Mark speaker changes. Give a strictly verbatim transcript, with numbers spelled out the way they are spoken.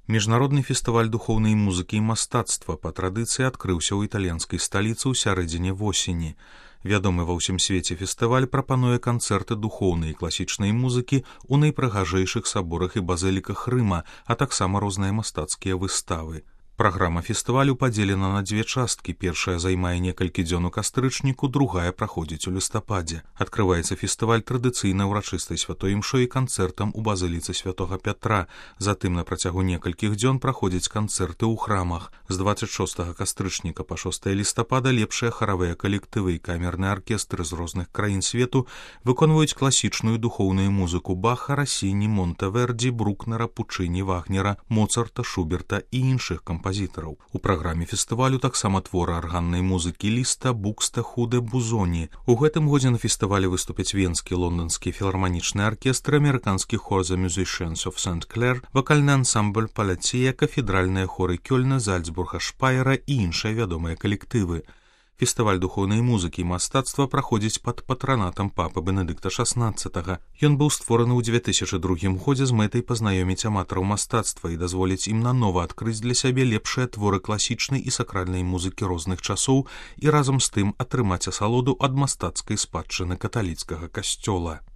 Speaker 1: Міжнародны фестываль духоўнай музыкі і мастацтва па традыцыі адкрыўся ў італьянскай сталіцы ў сярэдзіне восені. Вядомы ва ўсім свеце фестываль прапануе канцэрты духоўнай і класічнай музыкі ў найпрыгажэйшых саборах і базыліках Рыма, а таксама розныя мастацкія выставы. Праграма фестывалю падзелена на дзве часткі. Першая займае некалькі дзён у кастрычніку, другая праходзіць у лістападзе. Адкрываецца фестываль традыцыйна ўрачыстай святой імшой і канцэртам у базыліцы святога Пятра. Затым на працягу некалькіх дзён праходзяць канцэрты ў храмах. З дваццаць шостага кастрычніка па шостае лістапада лепшыя харавыя калектывы і камерныя аркестры з розных краін свету выконваюць класічную духоўную музыку Баха, Рассіні, Монтэверді, Брукнера, Пучыні, Вагнера, Моцарта, Шуберта і іншых кампазітараў. У праграме фестывалю таксама творы арганнай музыкі Ліста, Букстехуде, Бузоні. У гэтым годзе на фестывалі выступяць венскі, лонданскі філарманічны аркестр, амерыканскі хор The Musicians of Saint-Clair, вакальны ансамбль Палація, кафедральныя хоры Кёльна, Зальцбурга, Шпайера і іншыя вядомыя калектывы. Фестываль духоўнай музыкі і мастацтва праходзіць пад патранатам папы Бенедыкта шаснаццатага. Ён быў створаны ў дзве тысячы другім годзе з мэтай пазнаёміць аматараў мастацтва і дазволіць ім нанова адкрыць для сябе лепшыя творы класічнай і сакральнай музыкі розных часоў і разам з тым атрымаць асалоду ад мастацкай спадчыны каталіцкага касцёла.